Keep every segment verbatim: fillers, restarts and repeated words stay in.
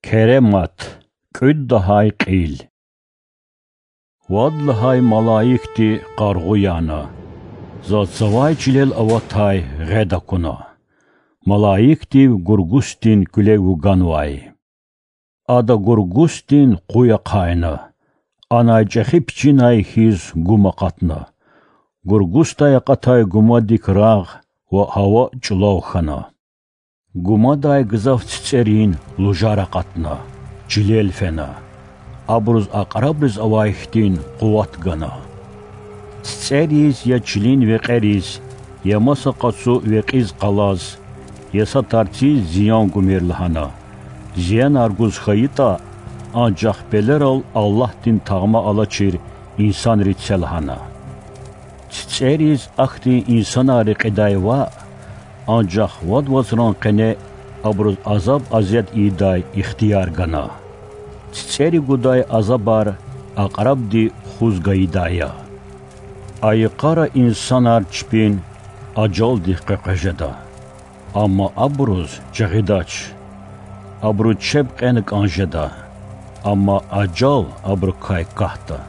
Керемат, кӀуьд лагьай кьил. Вад лагьай малаикди къаргъу яна. Заз цавай чилел аватай гъед акуна. Малаикдив гургустин куьле вуганвай. Ада гургустин къуй ахъайна, анай чӀехи пичинай хьиз гум акъатна. Гургусдай акъатай гумадик рагъ ва гьава чӀулав хьана. Гумадай гзаф цицӀерин лужар акъатна, чилел фена. Абуруз акьрабриз авай хьтин къуват гана. ЦицӀериз я чилин векьериз, я маса къацу векьиз-къалаз, я са тарциз зиян гумир лагьана. Зиянар гуз хьайитӀа, анжах пелерал Аллагьдин тагъма алачир инсанри це лагьана. ЦицӀериз ахьтин инсанар рекьидай ваъ, анжах вад вацран къене абуруз азаб-азият ийидай ихтияр гана. ЦицӀери гудай азабар акьрабди хуз гайидай я. А йикъара инсанар чпин ажалдихъ къекъвез жеда, амма абуруз жагъидач. Абуру чеб кьена кӀан жеда, амма ажал абурукай катда.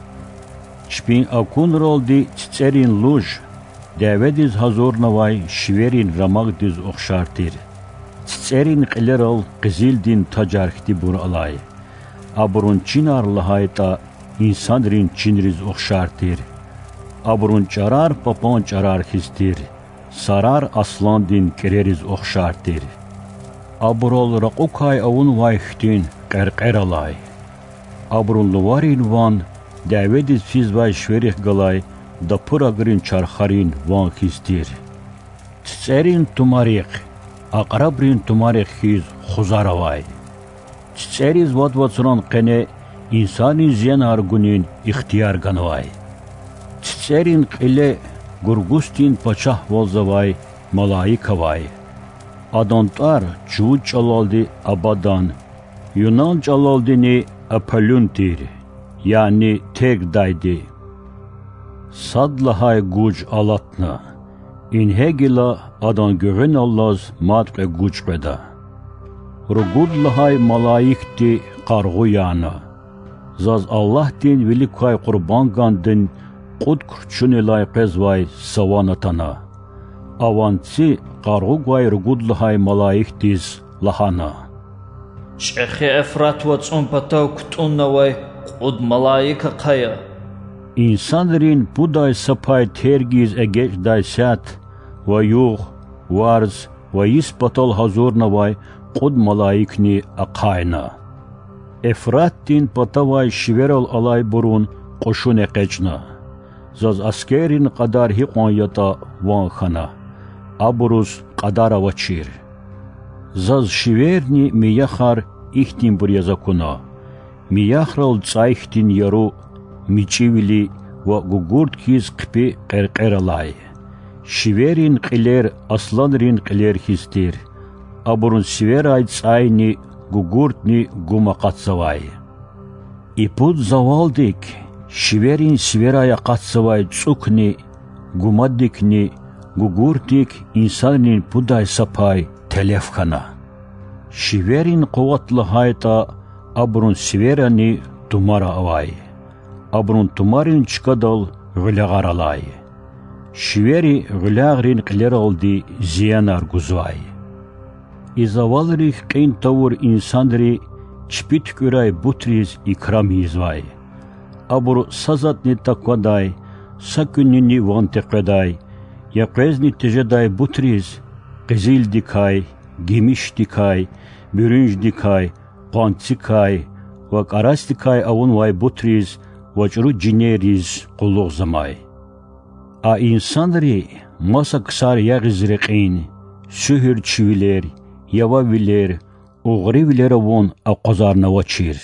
Чпин акунралди цицӀерин луж дяведиз гьазурнавай шиверин рамагдиз ухшар тир. ЦицӀерин кьилерал къизилдин тажар хьтинбур алай. Абурун чинар лагьайтӀа, инсанрин чинриз ухшар тир. Абурун чӀарар папан чӀарар хьиз тир, сарар асландин кӀирериз ухшар тир. Абурал ракьукай авунвай хьтин кьеркьер алай. Абурун луварин ван дяведиз физвай шверихъ галай дапурагрин чархарин ван хьиз тир. ЦицӀерин тумарихъ акьрабрин тумарихъ хьиз хузар авай. ЦицӀериз вад вацран къене инсанриз зиянар гунин ихтияр ганвай. ЦицӀерин кьиле гургустин пачагьвалзавай малаик авай. Адан тӀвар чувуд чӀалалди Абадан, юнан чӀалалдини Аполлюн тир, яни Тергдайди. Сад лагьай гуж алатна, ингье гила адан гуьгъуьналлаз мад кьве гуж къведа. Ругуд лагьай малаикди къаргъу яна. Заз Аллагьдин вилик квай къурбангандин кьуд кручунилай къвезвай са ван атана. А ванци къаргъу гвай ругуд лагьай малаикдиз лагьана: ЧӀехи Эфрат вацӀун патав кутӀуннавай кьуд малаик ахъая. Инсанрин пудай са пай тергиз эгечӀдай сят ва югъ, варз ва йис патал гьазурнавай кьуд малаикни ахъайна. Эфратдин патавай шиверал алайбурун кьушуни экъечӀна. Заз аскеррин кьадар гьикьван ятӀа ван хьана. Абуруз кьадар авачир. Заз шиверни мияхар ихьтинбур яз акуна: мияхрал цӀай хьтин яру, мичӀивили ва гугурт хьиз хъипи кьеркьер алай. Шиверин кьилер асланрин кьилер хьиз тир. Абурун сиверай цӀайни гугуртни гум акъатзавай. И пуд завалдик шиверин сиверай акъатзавай цӀукни, гумадикни, гугуртдик инсанрин пудай са пай телеф хьана. Шиверин къуват лагьайтӀа, абурун сиверани тумара авай. Абурун тумарин чкадал гъуьлягъар алай. Шивери гъуьлягърин кьилералди зиянар гузвай. И завалрихъ кьин тавур инсанри чпи туькӀуьрай бутриз икрам ийизвай. Абуру са затӀни таквадай, са куьнини ван текъведай, я къвезни тежедай бутриз, къизилдикай, гимишдикай, буьрунждикай, къванцикай ва кӀарасдикай авунвай бутриз ва чӀуру жинерриз къуллугъзамай. А инсанри маса ксар ягъиз рекьин, суьгьуьрчивилер, явавилер, угъривилер авун акъвазарнавачир.